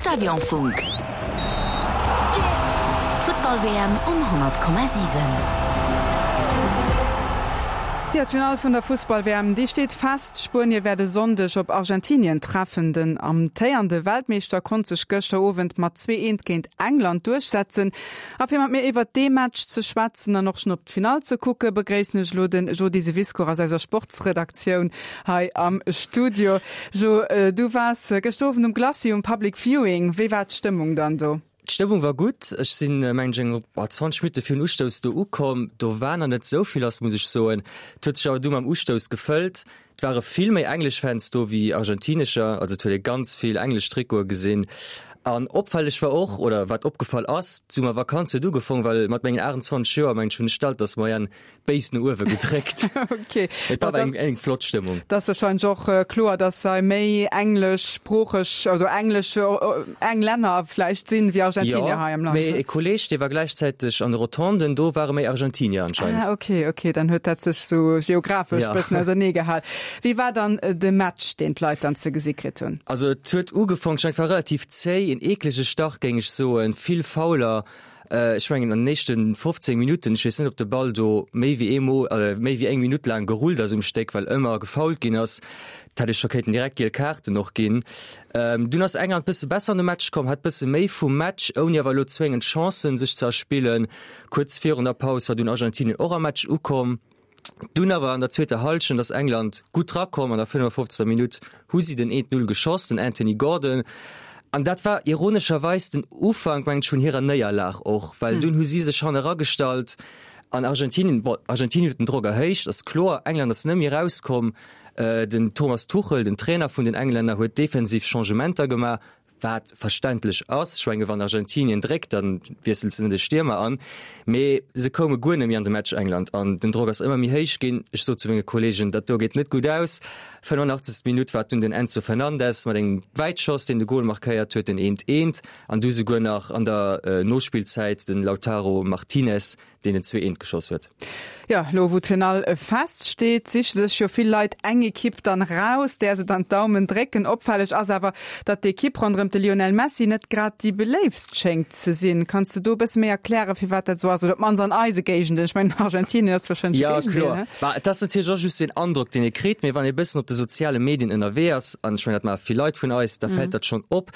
Stadionfunk. D'Futtball-WM um 100,7. Jo, d'Finall vun der Fussball-WM, déi steet fest. Spuenie wäert e Sonndeg op Argentinien treffen. Den amtéierende Weltmeeschter konnt sech gëschter Owend mat 2, 1 géint England duerchsetzen. A fir mat mir iwwert dee Match ze schwätzen an och schonn op d'Finall ze kucken, begréissen ech elo den Jo Diseviscourt aus eiser Sportsredaktioun hei am Studio. Jo, du waars gëschter Owend um Glacis um Public Viewing. Wéi war d'Stëmmung dann do? D'Stëmmung war gutt. Ech sinn, mengen ech, eng 20 Minutte virun Ustouss do ukomm. Do war nach net esou vill lass, muss ech soen. Et huet sech awer du mam Ustouss gefëllt. Et ware vill méi englesch Fans do wéi argentinescher, also et huet ee ganz vill englesch Trikote gesinn. An opfälleg war och, oder wat opgefall ass, d'Summervakanz huet ugefong, well mat mengen 28 Joer, mengen ech, hunn ech d'Altersmoyenne béis no uewe gedréckt. Ok. Et war awer eng flott Stëmmung. Et ass warscheinlech och kloer, datt hei méi engleschsproocheg, also englesch, Englänner vläicht sinn, wéi Argentinier hei am Land. Jo, mee e Kolleeg, dee war gläichzäiteg an de Rotonden, do ware méi Argentinier anscheinend. Ah, ok, ok, dann huet dat sech sou geographesch bëssen ausernee gehal. Wéi war dann de Match, deen d'Leit dann ze gesi kritt hunn? Also et huet ugefong, ech mengen, et war relativ zéi, en eeklege Start, géing ech soen, vill Fouler. Ech mengen an den éischte 15 Minutten, ech weess net, ob de Ball do méi wéi eemol, méi wéi eng Minutt laang gerullt ass um Stéck, well ëmmer gefoult ginn ass. Et hätt ee scho kéinten direkt giel Kaarten och ginn. Dunn ass England bësse besser an de Match komm, hat bësse méi vum Match, ouni awer elo zwéngend Chancen sech ze erspillen. Kuerz virun der Paus war dunn Argentinien och am Match ukomm. Dunn awer an der zweeter Hallschent ass England gutt drakomm. An der 55. Minutt hu si den 1, 0 geschoss, den Anthony Gordon. An dat war ironescherweis den Ufank, mengen ech, vun hirer Néierlag och, well dunn hu si sech hanne ragestallt an Argentinien, bon, Argentinien huet den Drock erhéicht, ass kloer, England ass net méi erauskomm. Den Thomas Tuchel, den Trainer vun den Englänner, huet defensiv Changementer gemaach, wat verständlech ass. Ech menge wann Argentinien dréckt, da wiesselt se net e Stiermer an. Mee se koume guer net méi an de Match, England, an den Drock ass ëmmer méi héich ginn. Ech sot zu menge Kolleegen, dat do geet net gutt aus. 85. Minutt war et dunn den Enzo Fernandez mat engem Wäitschoss, deen de Gol markéiert huet, den eent eent. An du souguer nach an der Nospillzäit den Lautaro Martinez, deen den 2 eent geschoss huet. Jo, elo wou d'Finall feststeet, siche sech jo vill Leit eng Ekipp dann raus, där se dann d'Daumen drécken. Opfälleg ass awer, datt d'Ekipp ronderëm de Lionel Messi net grad déi beléiftst schéngt ze sinn. Kanns de do e bësse méi erklären, firwat dat esou ass? Oder op d'mannst an eise Géigenden? Ech mengen, Argentinien ass warscheinlech de Jo, Géigendeel, kloer. ne? Bah, et ass natierlech och just een Androck, deen ee kritt, mee wann ee bëssen op de soziale Medien ënnerwee ass, an ech mengen, dat maache vill Leit vun eis, da fält dat schonn op.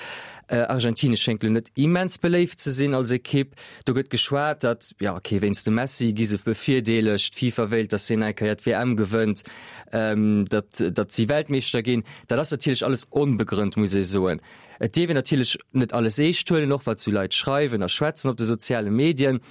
Argentinien schéngt elo net immens beléift ze sinn als Ekipp. Do gëtt geschwat, datt, jo ok, wéinst dem Messi gi se bevirdeelegt, d'FIFA wéilt, datt hien eng Kéier d'WM gewënnt, datt, datt si Weltmeeschter ginn. Dat ass natierlech alles onbegrënnt, muss ee soen. Et dierf een natierlech net alles eescht huelen, och wat sou Leit schreiwen a schwätzen op de soziale Medien.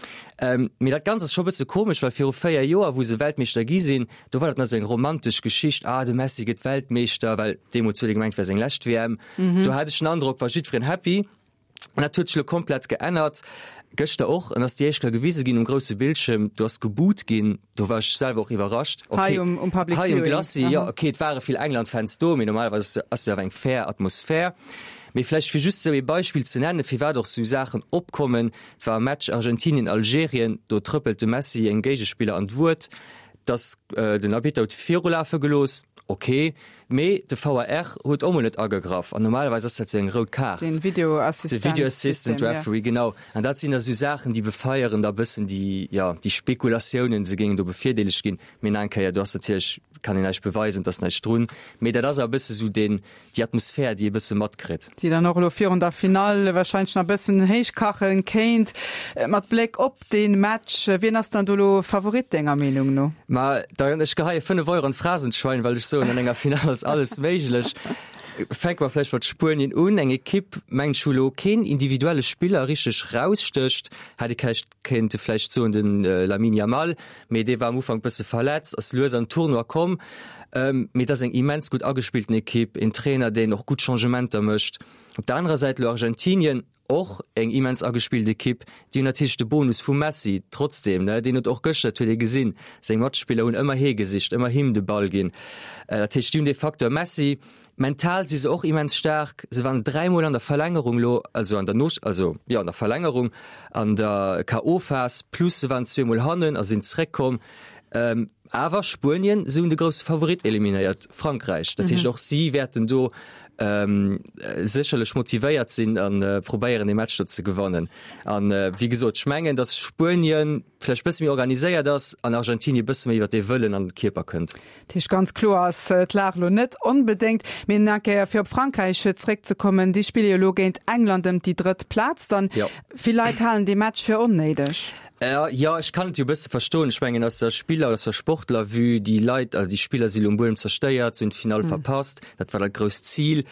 Mee dat Ganzt ass scho e bësse komesch, well viru 4 Joer, wou se Weltmeeschter gi sinn, do war dat nach sou eng romantesch Geschicht, ah de Messi gëtt Weltmeeschter, well deemools huet ee gemengt, et wär seng lescht WM. Do hat ech den Androck, war jiddwereen happy. An dat huet sech elo komplett geännert. Gëschter och, en ass déi éischt Kéier gewise ginn um grousse Bildschierm, do ass geboot ginn, do war ech selwer och iwwerrascht. Okay, hei um, um Public Hei um Glacis, jo, okay, et ware vill England-Fans do, mee normalerweis ass jo awer eng fair Atmosphär. Mee vläicht fir just esou ee Beispill ze nennen, firwat och esou Saachen opkommen, Et war e Match Argentinien-Algerien, do trëppelt de Messi engem Géigespiller an d'Wuert, dass den Arbitter huet virulafe gelooss, okay, Mee de VAR huet och mol net agegraff an normalerweis ass dat sou eng rout Kaart. Den Video Assistant De Video Assistant Referee, genau. An dat sinn da sou Saachen, déi befeieren da bëssen déi, jo, déi Spekulatiounen, se géingen do bevirdeelegt ginn. Mee nach eng Kéier, do ass natierlech, kann een näischt beweisen, et ass näischt drun. Mee dat ass awer e bësse sou deen, déi Atmosphär, déi ee bësse matkritt. Déi dann och elo virun der Finall warscheinlech nach e bëssen héichkachen kéint. Mat Bléck op Deen Match, wien ass dann do lo Favorit denger Meenung no? Ma dann, ech geheie 5 Euro an d'Phrasenschwein, well ech soen, an enger Finall ass alles méiglech. Fänke mer vläicht mat Spuenien un, eng Ekipp, mengen ech, wou elo keen individuelle Spiller richteg rausstécht. Hätt ee vläicht kéinte vläicht soen, de Lamine Yamal, mee dee war am Ufank bësse verletzt, ass lues an den Tournoi komm. Mee et ass eng immens gutt agespillten Ekipp, een Trainer, deen och gutt Changementer mécht. Op der anerer Säit elo Argentinien, Och eng immens agespillt Ekipp. Déi hunn natierlech de Bonus vum Messi trotzdeem, ne? Deen huet och gëschter, dat huet ee gesinn, seng Matspiller hunn ëmmer hie gesicht, ëmmer him de Ball ginn. Dat heescht, déi hunn dee Facteur Messi. Mental si se och immens staark. Se waren dräimol an der Verlängerung elo, also an der No-, also jo an der Verlängerung, an der KO-Phas, plus se waren zweemol hannen a sinn zeréckkomm. Awer Spuenien, se hunn de grousse Favorit eliminéiert, Frankräich. Dat heescht, och si wäerten do. Sécherlech motivéiert sinn a probéieren dee Match do ze gewannen. An wéi gesot, ech mengen, datt Spuenien vläicht bësse méi organiséiert ass an Argentinien bësse méi iwwer dee Wëllen an de Kierper kënnt. Dat heescht, ganz kloer ass d'Lag elo net onbedéngt. Mee nach eng Kéier fir op Frankräich zréckzekommen, déi spille jo elo géint England ëm déi drëtt Plaz dann. Vill Leit halen dee Match fir onnéideg. Jo, ech kann et jo e bësse verstoen. Ech mengen aus der Spiller, aus der Sportler-Vue, déi Leit, also déi Spiller si lo um Buedem zerstéiert, se hunn d'Finall verpasst, dat war dat grousst Zil.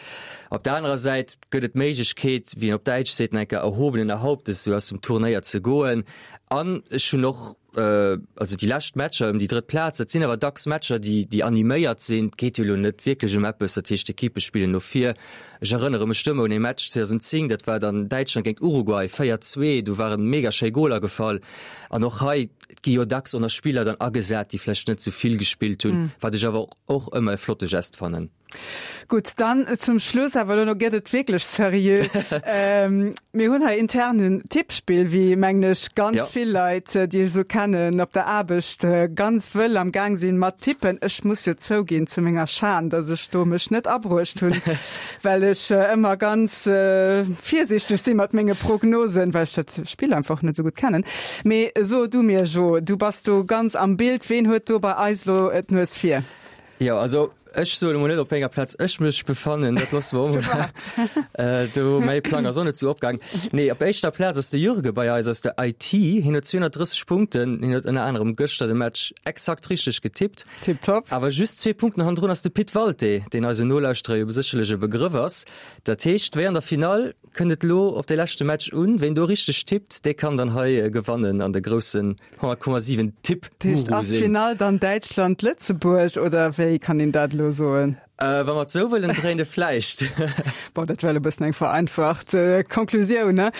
Op der anerer Säit gëtt et d'Méiglechkeet, wéi een op Däitsch seet, nach eng Kéier erhobenen Hauptes esou aus dem Turnéier ze goen. An ech hunn och, also déi lescht Matcher ëm déi drëtt Plaz, dat sinn awer dacks Matcher, déi, déi animéiert sinn. Et geet jo elo net wierklech ëm eppes, dat heescht d'Ekippe spillen no vir. Ech erënnere mech do ëmmer un ee Match 2010, dat war dann Däitschland géint Uruguay, 4, 2, do waren mega schéi Goler gefall. An och hei, et gi jo dacks och nach Spiller dann agesat, déi vläicht net sou vill gespillt hunn, wat ech awer och ëmmer e flotte Gest fannen. Gutt, dann zum Schluss awer elo gëtt et wierklech seriö. Mir hunn hei intern en Tippspill, wéi mengen ech ganz vill Leit, déi ech esou kennen op der Aarbecht, ganz wëll am Gaang sinn mat tippen. Ech muss jo zouginn zu menger Schan, dass ech do mech net abruecht hunn, well ech ëmmer ganz virsiichteg si mat menge Prognosen, well ech dat Spill einfach net esou gutt kennen. Mee so du mir, Jo, du bass do ganz am Bild, ween huet do bei eis elo d'Nues vir? Jo, also ech soen emol net, op wéi enger Plaz ech mech befannen, dat loosse mer emol. Do, mäi Plang ass och net esou opgaang. Nee, op éischter Plaz ass de Jürge bei eis aus der IT. Hien huet 230 Punkten. Hien huet ënner anerem gëschter de Match exakt richteg getippt. Tiptop. Awer just zwee Punkten hannendrun ass de Pit Walté, deen eisen Nolauschterer jo sécherlech e Begrëff ass. Dat heescht, wéi an der Finall kënnt et elo op de leschte Match un. Ween do richteg tippt, dee kann dann hei gewannen an de groussen 100,7 Tipp Guru ass sinn. D'Finall dann Däitschland-Lëtzebuerg oder wéi kann een dat elo soen? Äh, wa mer et sou wëllen dréinen, vläicht. Bon, dat war elo e bëssen eng vereinfacht Konklusioun, ne?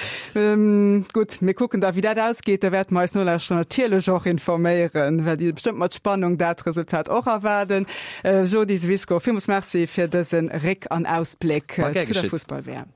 Gutt, mir kucken da wéi dat ausgeet. Da wäerte mer eis Nolauschterer natierlech och informéieren, well déi bestëmmt mat Spannung dat Resultat och erwaarden. Jody Swisko, villmools Merci fir dëse Réck an Ausbléck zu der Fussball-WM.